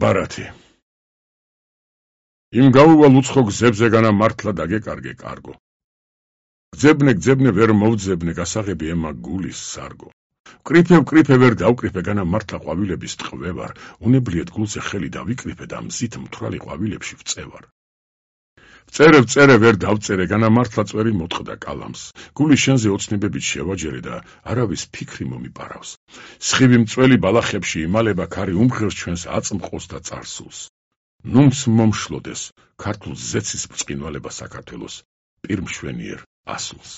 ბარათი იმ გაუვალ უცხო გზებზე განა მართლა დაგეკარგე კარგო გძებნე ვერ მოვძებნე გასაღები ემა გულის სარგო ვკრიფე ვერ დავკრიფე განა მართლა ყვავილების ტყვევარ უნებლიეთ გულზე ხელი დავიკრიფე და მზით მთვრალი ყვავილებში ვწევარ ვწერე ვერ დავწერე განა მართლა წვერი მოტყდა კალამს გული შენზე ოცნებებით შევაჯერე და არავის ფიქრი მომიპარავს სხივი მწველი ბალახებში იმალება ქარი უმღერს ჩვენს აწმყოს და წარსულს ნუმს მომშლოდეს ქართულ ზეცის ბრწყინვალება საქართველოს პირმშვენიერ ასულს